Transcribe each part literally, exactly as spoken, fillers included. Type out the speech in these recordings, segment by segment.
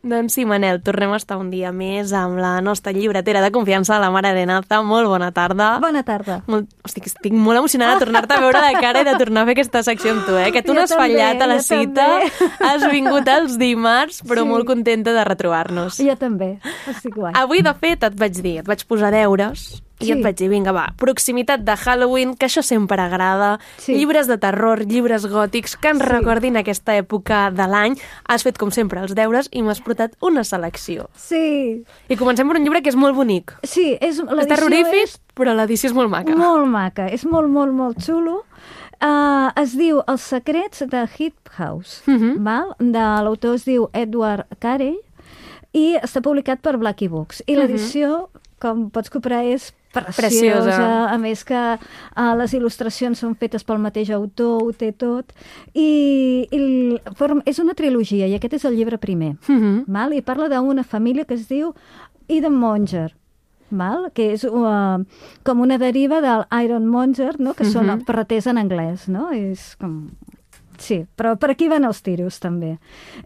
Doncs sí, Manel, tornem a estar un dia més amb la nostra llibretera de confiança, la Mare de Naza. Molt bona tarda. Bona tarda. Molt... Hosti, estic molt emocionada de tornar-te a veure de cara i de tornar a fer aquesta secció amb tu, eh? Que tu no has també, fallat a la cita, també. Has vingut els dimarts, però Sí. molt contenta de retrobar-nos. Jo també, estic guai. Avui, de fet, et vaig dir, et vaig posar deures i Sí. et vaig dir, vinga, va, proximitat de Halloween, que això sempre agrada, Sí. llibres de terror, llibres gòtics que ens Sí. recordin aquesta època de l'any. Has fet, com sempre, els deures i m'has portat una selecció. Sí, I comencem per un llibre que és molt bonic. sí, és, És l'edició terrorífic, és però l'edició és molt maca. molt maca, és molt, molt, molt xulo. Uh, es diu Els secrets de Hill House, Mhm. val? De l'autor es diu Edward Carey i està publicat per Blackie Books. I l'edició, com pots comprar, és preciosa. Preciosa. A més que uh, les il·lustracions són fetes pel mateix autor, ho té tot. I, i el- form- és una trilogia i aquest és el llibre primer. Mhm. Val? I parla d'una família que es diu Eden Monger, val? Que és uh, com una deriva del Iron Monger, no? Que són Mhm. ferreters en anglès, no? És com... Sí, però per aquí van els tiros, també.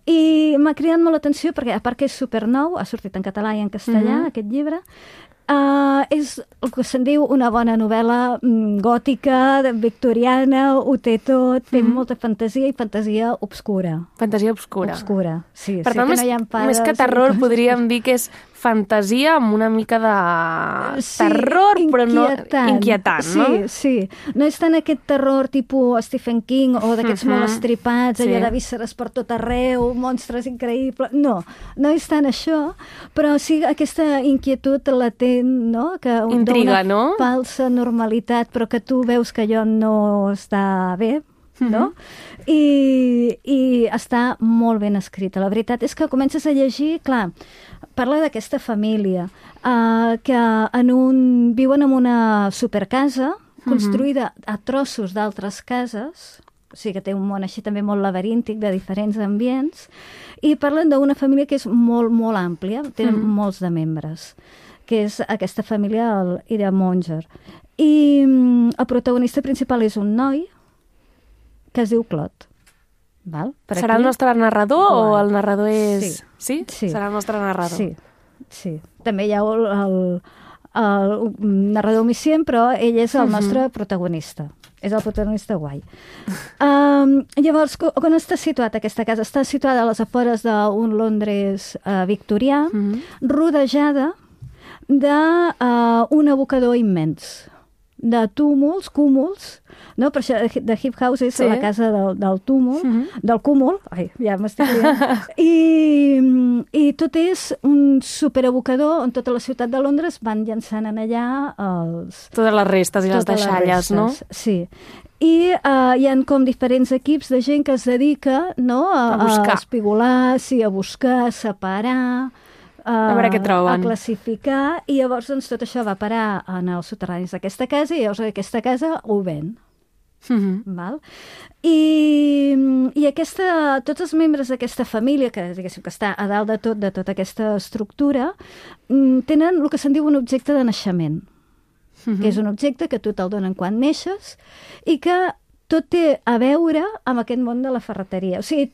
I m'ha cridat molt l'atenció perquè, a part que és supernou, ha sortit en català i en castellà, Mhm. aquest llibre, Uh, és el que se'n diu una bona novel·la mm, gòtica, de- victoriana, ho té tot, té Mhm. molta fantasia i fantasia obscura. Fantasia obscura. Obscura, sí. Per sí tant, que més, no hi ha pares, més que i terror, coses. podríem dir que és fantasia amb una mica de Sí, terror, però no inquietant. inquietant, no? Sí, sí. No és tant aquest terror tipus Stephen King o d'aquests Mhm. molt estripats, allò Sí. de vísceres per tot arreu, monstres increïbles... No, no és tant això, però sí aquesta inquietud latent, no?, que Intriga, dona no? falsa normalitat, però que tu veus que allò no està bé, no? Mhm. I, I està molt ben escrita. La veritat és que comences a llegir, clar, parla d'aquesta família uh, que en un, viuen en una supercasa construïda a trossos d'altres cases, o sigui que té un món així també molt laberíntic de diferents ambients, i parlen d'una família que és molt, molt àmplia, tenen Mhm. molts de membres, que és aquesta família, el Ida Monger. I mm, el protagonista principal és un noi que es diu Clot. Val? Per Serà aquí? el nostre narrador o Guai. el narrador és... Sí. Sí? Sí. Serà el nostre narrador. Sí, sí. També hi ha el, el, el narrador omniscient, però ell és el Mhm. nostre protagonista. És el protagonista guai. Um, llavors, co- on està situat aquesta casa? Està situada a les afores d'un Londres uh, victorià, Mhm. rodejada d'un uh, un abocador immens, de túmuls, cúmuls, no? Per això de Hip House és Sí. la casa del, del túmul, Mhm. del cúmul, ai, ja m'estic liant, I, i tot és un superabocador on tota la ciutat de Londres van llançant en allà els... Totes les restes i les totes deixalles, no? restes, Sí. I uh, hi han com diferents equips de gent que es dedica, no?, a, A buscar. a espigolar, sí, a buscar, a separar, a, A veure què troben. a classificar, i llavors doncs, tot això va a parar en els soterranis d'aquesta casa i llavors aquesta casa ho ven. Mhm. Val? I, i aquesta, tots els membres d'aquesta família, que diguéssim que està a dalt de tot, de tota aquesta estructura, mm, tenen el que se'n diu un objecte de naixement, Mhm. que és un objecte que tu te'l donen quan neixes i que tot té a veure amb aquest món de la ferreteria. O sigui,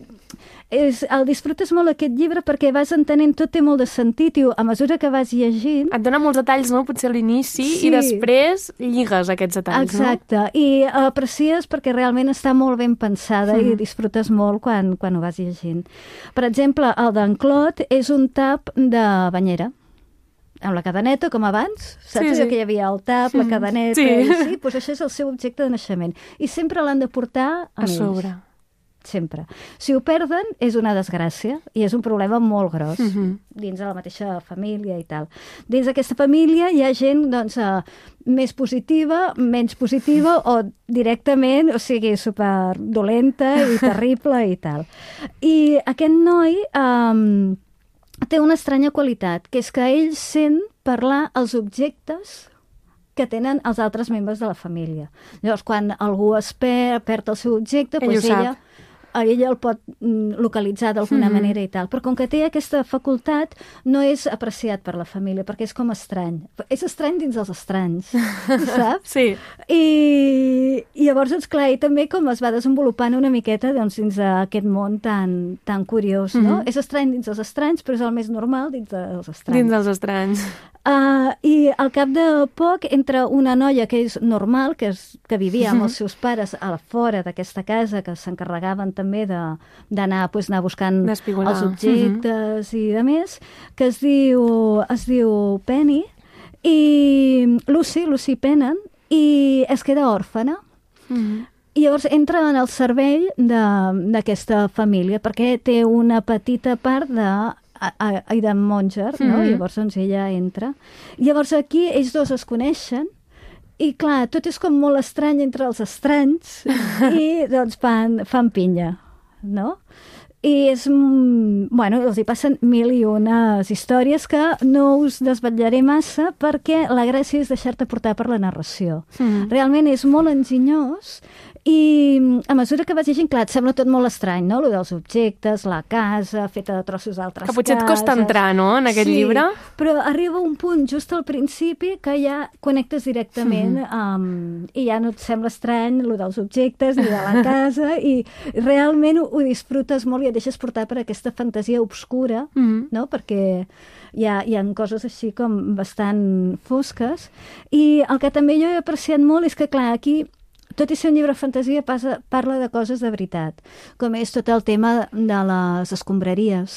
és, el disfrutes molt aquest llibre perquè vas entenent, tot té molt de sentit i a mesura que vas llegint... Et dona molts detalls, no? Potser a l'inici, Sí. i després lligues aquests detalls, Exacte, i aprecies perquè realment està molt ben pensada Mhm. i disfrutes molt quan, quan ho vas llegint. Per exemple, el d'en Clot és un tap de banyera, amb la cadeneta, com abans. Saps Sí, allò sí. que hi havia el tap, la cadeneta... Sí. I sí, doncs això és el seu objecte de naixement. I sempre l'han de portar A amb sobre. ells. Sempre. Si ho perden, és una desgràcia i és un problema molt gros Mhm. dins de la mateixa família i tal. Dins d'aquesta família hi ha gent doncs, uh, més positiva, menys positiva o directament, o sigui, super dolenta i terrible i tal. I aquest noi um, té una estranya qualitat, que és que ell sent parlar els objectes que tenen els altres membres de la família. Llavors, quan algú es perd, perd el seu objecte, Ell doncs ho sap. ella ella el pot localitzar d'alguna mm-hmm. manera i tal. Però com que té aquesta facultat, no és apreciat per la família, perquè és com estrany. És estrany dins els estranys, saps? Sí. I, i llavors, doncs, clar, i també com es va desenvolupant una miqueta doncs, dins d'aquest món tan, tan curiós, no? Mm-hmm. És estrany dins els estranys, però és el més normal dins dels estranys. Dins dels estranys. Uh, I al cap de poc entra una noia que és normal, que, és, que vivia amb els seus pares a fora d'aquesta casa, que s'encarregaven també d'anar pues, anar buscant els objectes uh-huh. i de més, que es diu, es diu Penny, i Lucy, Lucy Pennant, i es queda òrfana. Uh-huh. I llavors entra en el servei d'aquesta família, perquè té una petita part de Aidan Monger, no? Mm-hmm. Llavors doncs ella entra. Llavors aquí ells dos es coneixen i clar, tot és com molt estrany entre els estranys i doncs fan, fan pinya, no? I és, bueno, els hi passen mil i unes històries que no us desvetllaré massa perquè la gràcia és deixar-te portar per la narració. Mm-hmm. Realment és molt enginyós i a mesura que vas llegint, clar, et sembla tot molt estrany, no? Lo dels objectes, la casa, feta de trossos d'altres cases. Que potser et costa entrar, no?, en aquest sí, llibre. Però arriba un punt just al principi que ja connectes directament mm-hmm. um, i ja no et sembla estrany lo dels objectes ni de la casa i realment ho, ho disfrutes molt i et deixes portar per aquesta fantasia obscura, mm-hmm. no?, perquè hi ha, hi ha coses així com bastant fosques. I el que també jo he apreciat molt és que, clar, aquí tot i ser un llibre de fantasia, passa, parla de coses de veritat, com és tot el tema de les escombraries,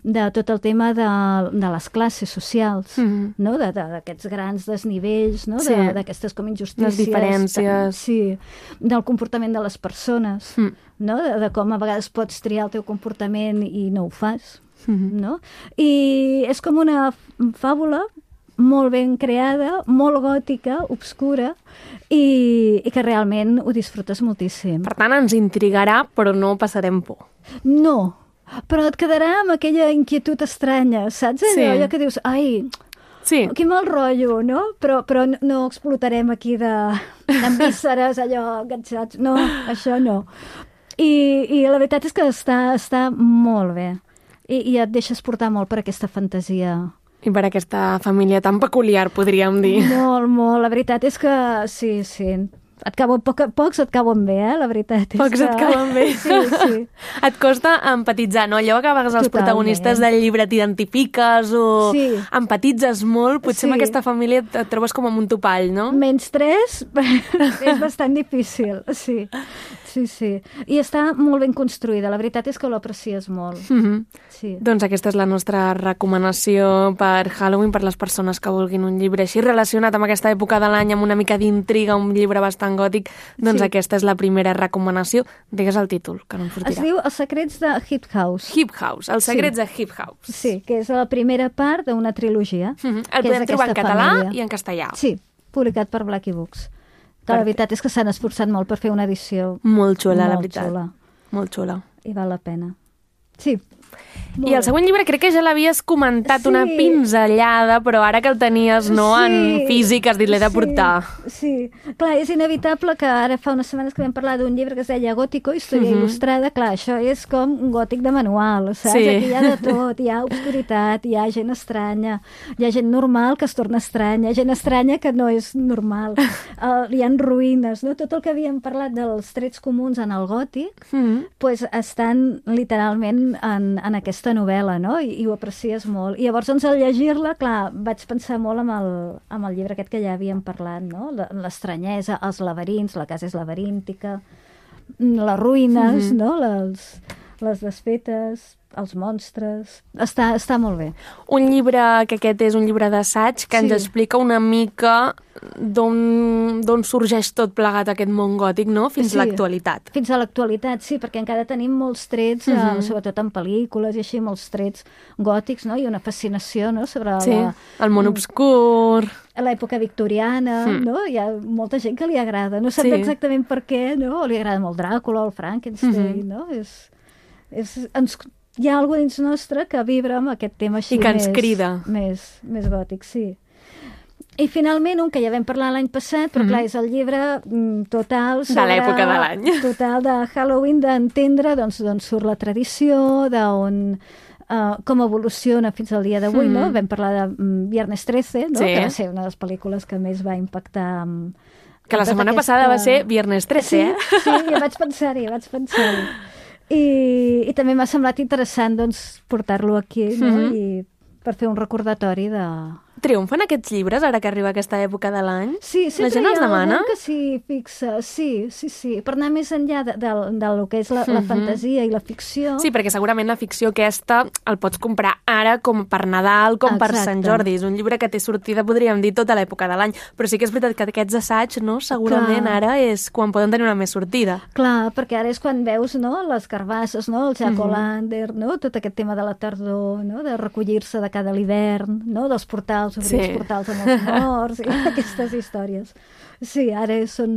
de tot el tema de, de les classes socials, mm-hmm. no? d'aquests grans desnivells, no? Sí. d'aquestes com injustícies. Les diferències. Sí, del comportament de les persones, mm. no? de, de com a vegades pots triar el teu comportament i no ho fas. Mm-hmm. No? I és com una fàbula molt ben creada, molt gòtica, obscura, i, i que realment ho disfrutes moltíssim. Per tant, ens intrigarà, però no passarem por. No, però et quedarà amb aquella inquietud estranya, saps? Sí. Allò que dius, ai, sí. que mal rotllo, no? Però, però no explotarem aquí de, amb vísceres, allò, enganxats. No, això no. I, i la veritat és que està, està molt bé. I, i et deixes portar molt per aquesta fantasia. I per aquesta família tan peculiar, podríem dir. Molt, molt. La veritat és que sí, sí. Et cauen, poc, pocs et cauen bé, eh? La veritat és pocs que... et cauen bé. Sí, sí. Et costa empatitzar, no? Allò que a vegades els Totalment. protagonistes del llibre t'identifiques o sí. empatitzes molt, potser sí. amb aquesta família et trobes com amb un topall, no? Menys tres és bastant difícil, sí. Sí, sí. I està molt ben construïda. La veritat és que l'aprecies molt. Mm-hmm. Sí. Doncs aquesta és la nostra recomanació per Halloween, per les persones que vulguin un llibre així relacionat amb aquesta època de l'any, amb una mica d'intriga, un llibre bastant gòtic. Doncs sí. aquesta és la primera recomanació. Digues el títol, que no em sortirà. Es diu Els secrets de Hip House. Hip House, Els secrets sí. de Hip House. Sí, que és la primera part d'una trilogia. Mm-hmm. El podem trobar en català família. I en castellà. Sí, publicat per Blackie Books. Que la veritat és que s'han esforçat molt per fer una edició molt xula, molt la veritat. Xula. Molt xula. I val la pena. Sí. I el següent llibre crec que ja l'havies comentat, sí. una pinzellada, però ara que el tenies no sí. en físic has dit l'he de portar. Sí, sí. Clar, és inevitable que ara fa unes setmanes que vam parlar d'un llibre que es deia Gótico, història uh-huh. il·lustrada. Clar, això és com un gòtic de manual, saps? Sí. Aquí hi ha de tot, hi ha obscuritat, hi ha gent estranya, hi ha gent normal que es torna estranya, gent estranya que no és normal, uh, hi ha ruïnes, no? Tot el que havíem parlat dels trets comuns en el gòtic, uh-huh. pues estan literalment en, en aquesta novel·la, no? I, i ho aprecies molt. I llavors, doncs, al llegir-la, clar, vaig pensar molt amb el, amb el llibre aquest que ja havíem parlat, no? L'estranyesa, els laberints, la casa és laberíntica, les ruïnes, mm-hmm. no? Les, les desfetes, els monstres... Està, està molt bé. Un llibre, que aquest és un llibre d'assaig, que sí. ens explica una mica d'on sorgeix tot plegat aquest món gòtic, no? Fins sí. a l'actualitat. Fins a l'actualitat, sí, perquè encara tenim molts trets, mm-hmm. eh, sobretot en pel·lícules i així, molts trets gòtics, no? I una fascinació, no?, sobre sí. la... el món obscur... l'època victoriana, mm. no? Hi ha molta gent que li agrada. No sap sí. exactament per què, no? Li agrada molt Dràcula o el Frankenstein, mm-hmm. no? És... és ens... Hi ha alguna dins nostre que vibra amb aquest tema així I que ens més, crida. Més, més gòtic, sí. I finalment un que ja vam parlar l'any passat, però mm-hmm. clar, és el llibre mm, total sobre... De l'època de l'any. Total de Halloween, d'entendre doncs, d'on surt la tradició, d'on... Uh, com evoluciona fins al dia d'avui, mm. no? Vam parlar de um, Viernes trece, no? Sí. Que va ser una de les pel·lícules que més va impactar... Um, que la setmana aquesta... passada va ser Viernes trece, sí, eh? Sí, ja vaig pensar-hi, vaig pensar-hi. I, I també m'ha semblat interessant doncs, portar-lo aquí, no? Mm-hmm. I per fer un recordatori de... Triomfen aquests llibres ara que arriba aquesta època de l'any? Sí, la gent els demana? Que s'hi fixa, sí, sí, sí. Per anar més enllà de, de, de lo que és la, mm-hmm. la fantasia i la ficció. Sí, perquè segurament la ficció aquesta el pots comprar ara com per Nadal, com Exacte. Per Sant Jordi. És un llibre que té sortida, podríem dir, tota l'època de l'any. Però sí que és veritat que aquests assaigs, no? Segurament Clar. Ara és quan poden tenir una més sortida. Clar, perquè ara és quan veus, no?, les carbasses, no?, el Jack mm-hmm. O'Lander, no?, tot aquest tema de la tardor, no?, de recollir-se de cada l'hivern, no?, dels portals, obrir sí. els portals amb els morts i aquestes històries. Sí, ara són...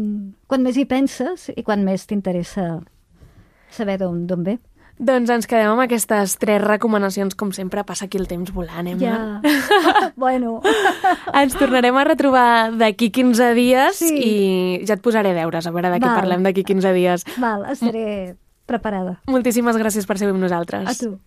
Quan més hi penses i quan més t'interessa saber d'on ve. Doncs ens quedem amb aquestes tres recomanacions. Com sempre, passa aquí el temps volant, eh, Mar? Ja. Bueno. Ens tornarem a retrobar d'aquí quinze dies sí. i ja et posaré deures, a veure de què Val. Parlem d'aquí quinze dies. Val, estaré preparada. Moltíssimes gràcies per ser amb nosaltres. A tu.